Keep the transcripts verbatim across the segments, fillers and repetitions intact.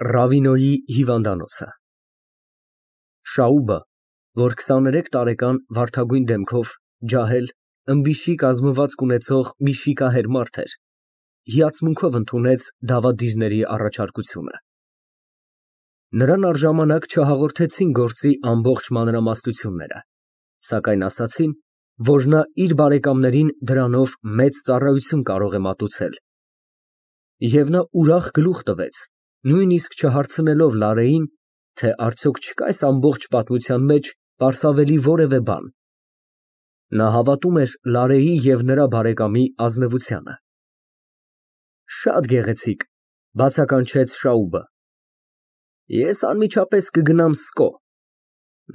Ռավինոյի հիվանդանոցը Շաուբը, որ քսաներեք տարեկան վարդագույն դեմքով, ջահել, ըմբիշի կազմվածք ունեցող մի շիկահեր մարդ էր, հիացմունքով ընդունեց դավադիրների առաջարկությունը։ Նրան առժամանակ չհաղորդեցին գործի ամբողջ մանրամասնությունները, սակայն ասացին, որ նա իր բարեկամներին դրանով մեծ ծառայություն կարող է մատուցել, և նա ուրախ գլուխ տվեց, նույնիսկ չհարցնելով Լարեին, թե արդյոք չկա այս ամբողջ պատմության մեջ պարսավելի որևէ բան։ Նա հավատում էր Լարեի և նրա բարեկամի ազնվությանը։ Շատ գեղեցիկ, բացականչեց Շաուբը։ Ես անմիջապես կգնամ Սկո։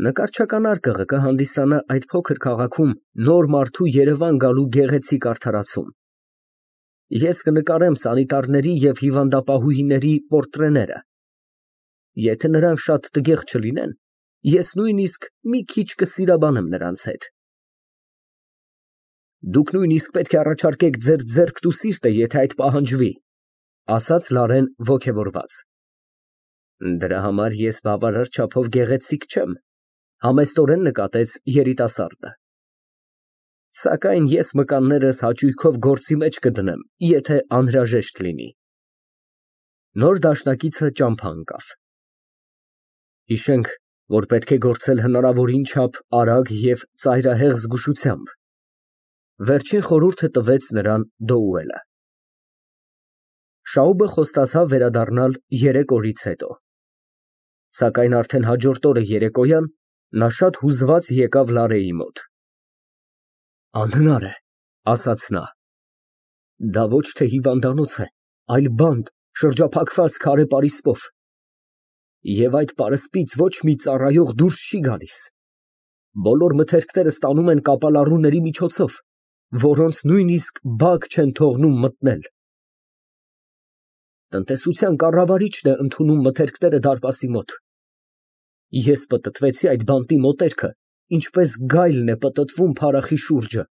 Նկարչական արկղը կհանդիսանա այդ փոքր քաղաքում նոր մարդու երևան գալու գեղեցիկ արդարացում։ Ես կնկարեմ սանիտարների և հիվանդապահուհիների պորտրեները։ Եթե նրանք շատ տգեղ չլինեն, ես նույնիսկ մի քիչ կսիրաբանեմ նրանց հետ։ Դուք նույնիսկ պետք է առաջարկեք ձեր ձեռքն ու սիրտը, եթե այդ պահանջվի, ասաց Լարեն ոգևորված։ Դրա համար ես բավարար չափով գեղեցիկ չեմ, համեստորեն նկատեց երիտասարդը։ Սակայն ես մկաններս հաճույքով գործի մեջ կդնեմ, եթե անհրաժեշտ լինի։ Նոր դաշնակիցը ճամփա ընկավ։ Հիշենք, որ պետք է գործել հնարավորին չափ արագ և ծայրահեղ զգուշությամբ։ Վերջին խորհուրդը տվեց նրան Դոուելը։ Շաուբը խոստացավ վերադառնալ երեք օրից հետո։ Սակայն արդեն հաջորդ օրը երեկոյան նա շատ հուզված եկավ Լարեի մոտ։ Անհնար է, ասաց նա։ Դա ոչ թե հիվանդանոց է, այլ բանտ, շրջափակված քարե պարիսպով։ Եվ այդ պարսպից ոչ մի ծառայող դուրս չի գալիս։ Բոլոր մթերքները ստանում են կապալառուների միջոցով, որոնց նույնիսկ բակ չեն թողնում մտնել։ Տնտեսության կառավարիչն է ընդունում մթերքները դարպասի մոտ։ Ես պտտվեցի այդ բանտի մոտերքը, ինչպես գայլն է պտտվում փարախի շուրջը,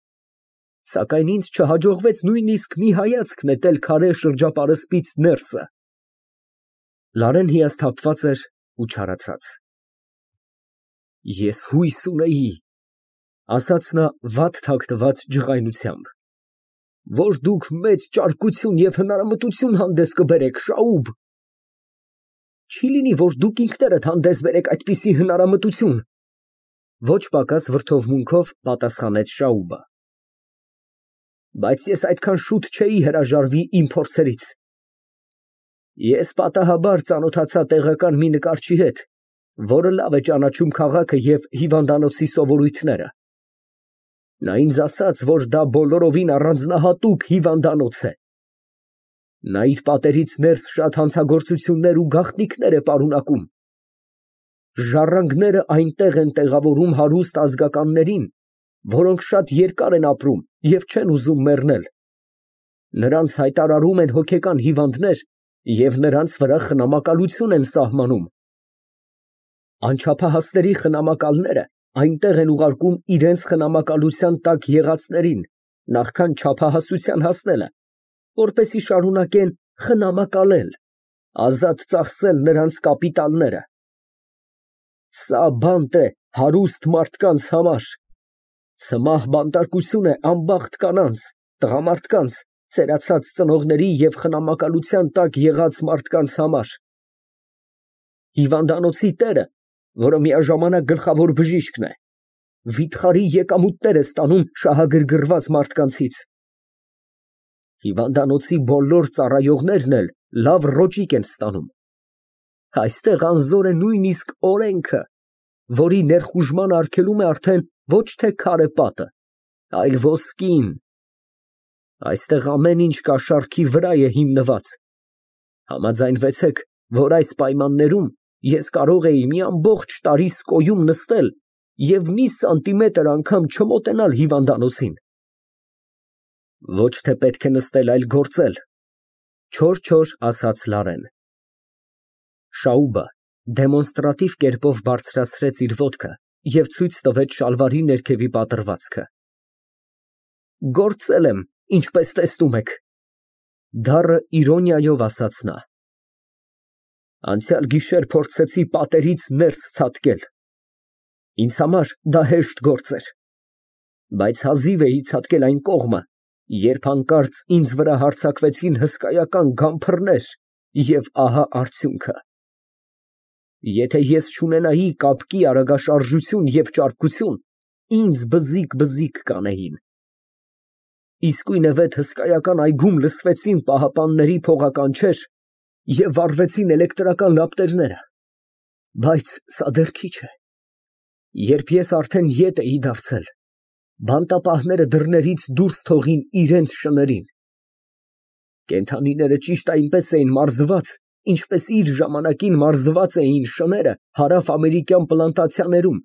սակայն ինձ չհաջողվեց նույնիսկ մի հայացք նետել քարե շրջապարսպից ներսը։ Լարեն հիասթափված էր ու չարացած։ Ես հույս ունեի, ասաց նա վատ թաքնված ջղայնությամբ, որ դուք մեծ ճարպկություն և հնարամտություն հանդես կբերեք, Շաուբ։ Չի լինի, որ դուք ինքներդ հանդես բերեք այդպիսի հնարամտություն, ոչ պակաս վրդովմունքով պատասխանեց Շաուբը։ Բայց ես այդքան շուտ չէի հրաժարվի իմ փորձերից։ Ես պատահաբար ծանոթացա տեղական մի նկարչի հետ, որը լավ է ճանաչում քաղաքը և հիվանդանոցի սովորույթները։ Նա ինձ ասաց, որ դա բոլորովին առանձնահատուկ հիվանդանոց է։ Նա իր պատերից ներս շատ հանցագործություններ ու գաղտնիքներ է պարունակում։ Ժառանգները այնտեղ են տեղավորում հարուստ ազգականներին, որոնք շատ երկար են ապրում և չեն ուզում մեռնել։ Նրանց հայտարարում են հոգեկան հիվանդներ և նրանց վրա խնամակալություն են սահմանում։ Անչափահասների խնամակալները այնտեղ են ուղարկում իրենց խնամակալության տակ եղածներին, նախքան չափահասության հասնելը, որպեսզի շարունակեն խնամակալել, ազատ ծախսել նրանց կապիտալները։ Սա բանտ է հարուստ մարդկանց համար, ցմահ բանտարկություն է անբախտ կանանց, տղամարդկանց, ծերացած ծնողների և խնամակալության տակ եղած մարդկանց համար։ Հիվանդանոցի տերը, որը միաժամանակ գլխավոր բժիշկն է, վիթխարի եկամուտներ է ստանում շահագրգռված մարդկանցից։ Հիվանդանոցի բոլոր ծառայողներն էլ լավ ռոճիկ են ստանում։ Այստեղ անզոր է նույնիսկ օրենքը, որի ներխուժման արգելում է արդեն ոչ թե քարե պատը, այլ ոսկին։ Այստեղ ամեն ինչ կաշառքի վրա է հիմնված։ Համաձայնվեցեք, որ այս պայմաններում ես կարող էի մի ամբողջ տարի Սկոյում նստել և մի սանտիմետր անգամ չմոտենալ հիվանդանոցին։ Ոչ թե պետք է նստել, այլ գործել, չոր֊չոր ասաց Լարեն։ Շաուբը դեմոնստրատիվ կերպով բարձրացրեց իր ոտքը և ցույց տվեց շալվարի ներքևի պատռվածքը։ Գործել եմ, ինչպես տեսնում եք, դառն իրոնիայով ասաց նա։ Անցյալ գիշեր փորձեցի պատերից ներս ցատկել, ինձ համար դա հեշտ գործ էր, բայց հազիվ էի ցատկել այն կողմը, երբ հանկարծ ինձ վրա հարձակվեցին հսկայական գամփրներ, և ահա արդյունքը. եթե ես չունենայի կապկի արագաշարժություն և ճարպկություն, ինձ բզիկ֊բզիկ կանեին։ Իսկույնևեթ հսկայական այգում լսվեցին պահապանների փողականչեր և վառվեցին էլեկտրական լապտերները, բայց սա դեռ քիչ է, երբ ես արդեն ետ էի դարձել, բանտապահները դռներից դուրս թողին իրենց շներին։ Կենդանիները ճիշտ այնպես էին մարզված, ինչպես իր ժամանակին մարզված էին շները հարավ֊ամերիկյան պլանտացիաներում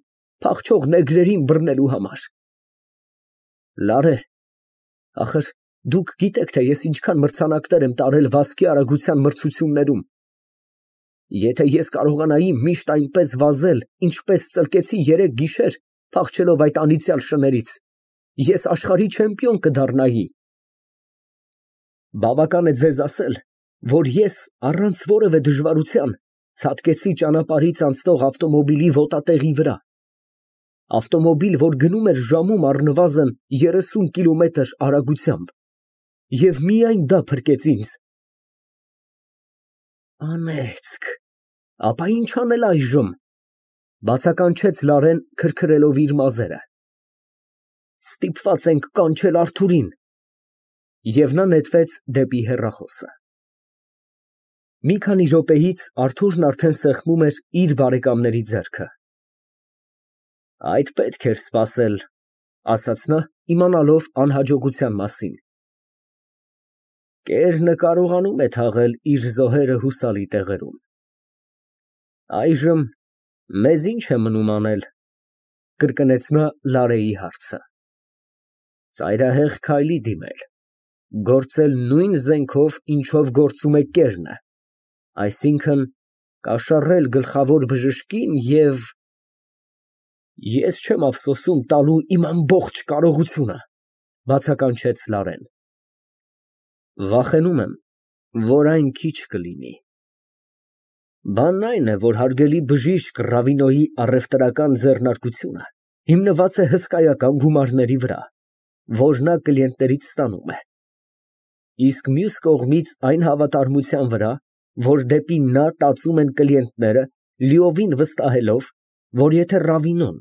փախչող նեգրերին բռնելու համար։ Ախր դուք գիտեք, թե ես ինչքան մրցանակներ եմ տարել վազքի արագության մրցություններում։ Եթե ես կարողանայի միշտ այնպես վազել, ինչպես ծլկեցի երեկ գիշեր, փախչելով այդ անիծյալ շներից, ես աշխարհի չեմպիոն կդառնայի։ Բավական է ձեզ ասել, որ ես առանց որևէ դժվարության ցատկեցի ճանապարհից անցնող ավտոմոբիլի ոտատեղի վրա, ավտոմոբիլ, որ գնում էր ժամում առնվազն երեսուն կիլոմետր արագությամբ, և միայն դա փրկեց ինձ։ Անեծք, ապա ի՞նչ անել այժմ, բացականչեց Լարեն, քրքրելով իր մազերը։ Ստիպված ենք կանչել Արթուրին։ Եվ նա նետվեց դեպի հեռախոսը։ Մի քանի րոպեից Արթուրն արդեն սեղմում էր իր բարեկամների ձեռքը։ Այդ պետք էր սպասել, ասաց նա, իմանալով անհաջողության մասին։ Կերնը կարողանում է թաղել իր զոհերը հուսալի տեղերում։ Այժմ մեզ ինչ է մնում անել, կրկնեց նա Լարեի հարցը։ Ծայրահեղ քայլի դիմել, գործել նույն զենքով, ինչով գործում է կերնը, այսինքն կաշառել գլխավոր բժշկին և… Ես չեմ ափսոսում տալու իմ ամբողջ կարողությունը, բացականչեց Լարեն։ Վախենում եմ, որ այն քիչ կլինի։ Բանն այն է, որ հարգելի բժիշկ Ռավինոյի առևտրական ձեռնարկությունը հիմնված է հսկայական գումարների վրա, որ նա կլիենտներից ստանում է, իսկ մյուս կողմից այն հավատարմության վրա, որ դեպի նա տածում են կլիենտները, լիովին վստահելով, որ եթե Ռավինոն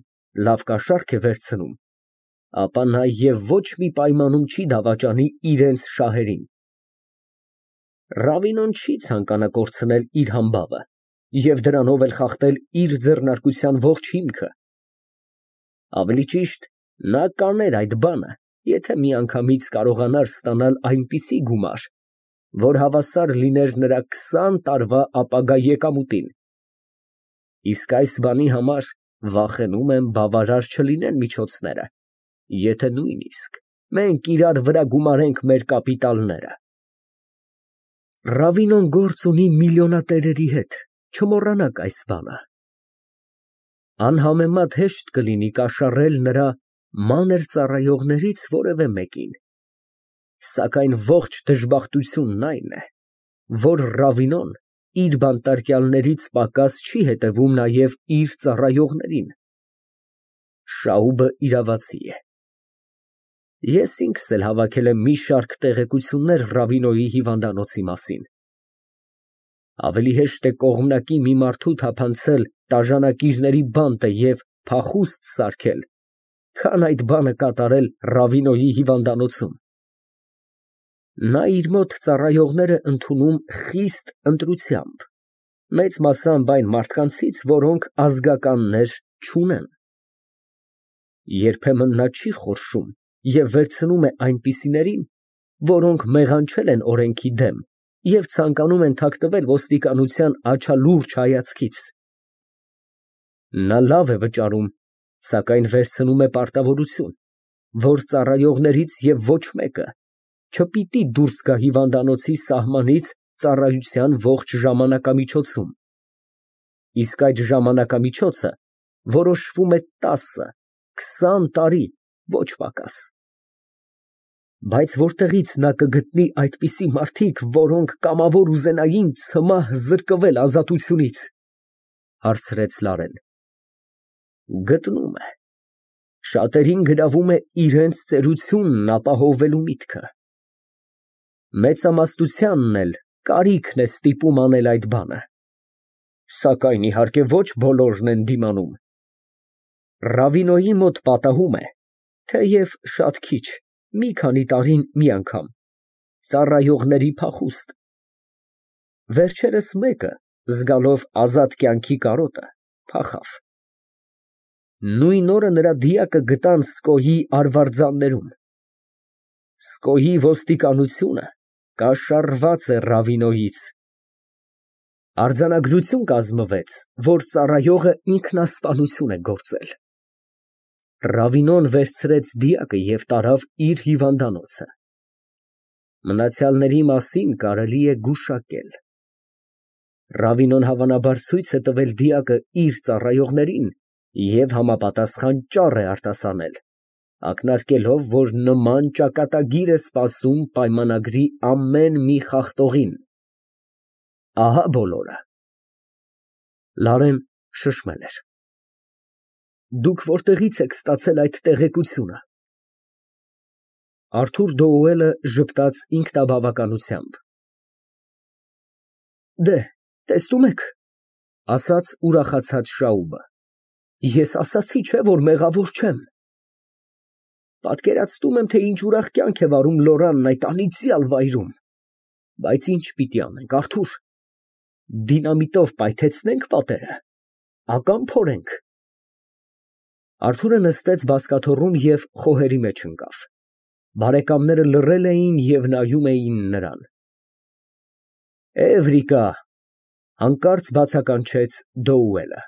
լավ կաշառք է վերցնում, ապա նա և ոչ մի պայմանում չի դավաճանի իրենց շահերին։ Ռավինոն չի ցանկանա կորցնել իր համբավը և դրանով էլ խախտել իր ձեռնարկության ողջ հիմքը։ Ավելի ճիշտ, նա կաներ այդ բանը, եթե միանգամից կարողանար ստանալ այնպիսի գումար, որ հավասար լիներ նրա քսան տարվա ապագա եկամուտին։ Իսկ այս բանի համար, վախենում եմ, բավարար չլինեն միջոցները, եթե նույնիսկ մենք իրար վրա գումարենք մեր կապիտալները։ Ռավինոն գործ ունի միլիոնատերերի հետ, չմոռանաք այս բանը։ Անհամեմատ հեշտ կլինի կաշառել նրա մանր ծառայողներից որևէ մեկին, սակայն ողջ դժբախտությունն այն է, որ Ռավինոն իր բանտարկյալներից պակաս չի հետևում նաև իր ծառայողներին։ Շաուբը իրավացի է։ Ես ինքս էլ հավաքել եմ մի շարք տեղեկություններ Ռավինոյի հիվանդանոցի մասին։ Ավելի հեշտ է կողմնակի մի մարդու թափանցել տաժանակիրների բանտը և փախուստ սարքել, քան այդ բանը կատարել Ռավինոյի հիվանդանոցում։ Նա իր մոտ ծառայողներ է ընդունում խիստ ընտրությամբ, մեծ մասամբ այն մարդկանցից, որոնք ազգականներ չունեն։ Երբեմն նա չի խորշում և վերցնում է այնպիսիներին, որոնք մեղանչել են օրենքի դեմ և ցանկանում են թաքնվել ոստիկանության աչալուրջ հայացքից։ Նա լավ է վճարում, սակայն վերցնում է պարտավորություն, որ ծառայողներից և ոչ մեկը չպիտի դուրս գա հիվանդանոցի սահմանից ծառայության ողջ ժամանակամիջոցում, իսկ այդ ժամանակամիջոցը որոշվում է տասը, քսան տարի, ոչ պակաս։ Բայց որտեղի՞ց նա կգտնի այդպիսի մարդիկ, որոնք կամավոր ուզենային ցմահ զրկվել ազատությունից, հարցրեց Լարեն։ Գտնում է, շատերին գրավում է իրենց ծերությունն ապահովելու միտքը։ Մեծամասնությանն էլ կարիքն է ստիպում անել այդ բանը, սակայն իհարկե ոչ բոլորն են դիմանում։ Ռավինոյի մոտ պատահում է, թեև շատ քիչ, մի քանի տարին մի անգամ, ծառայողների փախուստ։ Վերջերս մեկը, զգալով ազատ կյանքի կարոտը, փախավ։ Նույն օրը նրա դիակը գտան Սկոյի արվարձաններում։ Սկոյի ոստիկանությունը կաշառված է Ռավինոյից։ Արձանագրություն կազմվեց, որ ծառայողը ինքնասպանություն է գործել։ Ռավինոն վերցրեց դիակը և տարավ իր հիվանդանոցը։ Մնացյալների մասին կարելի է գուշակել։ Ռավինոն հավանաբար ցույց է տվել դիակը իր ծառայողներին և համապատասխան ճառ է արտասանել, ակնարկելով, որ նման ճակատագիր է սպասում պայմանագրի ամեն մի խախտողին։ Ահա բոլորը։ Լարեն շշմել էր։ Դուք որտեղի՞ց եք ստացել այդ տեղեկությունը։ Արթուր Դոուելը ժպտաց ինքնաբավականությամբ։ Դե, տեսնում եք, ասաց ուրախացած Շաուբը, ես ասացի, չէ՞, որ մեղավոր չեմ։ Պատկերացնում եմ, թե ինչ ուրախ կյանք է վարում Լորանն այդ անիծյալ վայրում։ Բայց ինչ պիտի անենք, Արթուր, դինամիտով պայթեցնե՞նք պատերը, ակամ փորենք։ Արթուրը նստեց բազկաթոռում և խոհերի մեջ ընկավ։ Բարեկամները լռել էին և նայում էին նրան։ Էվրիկա, հանկարծ բացականչեց Դոուելը։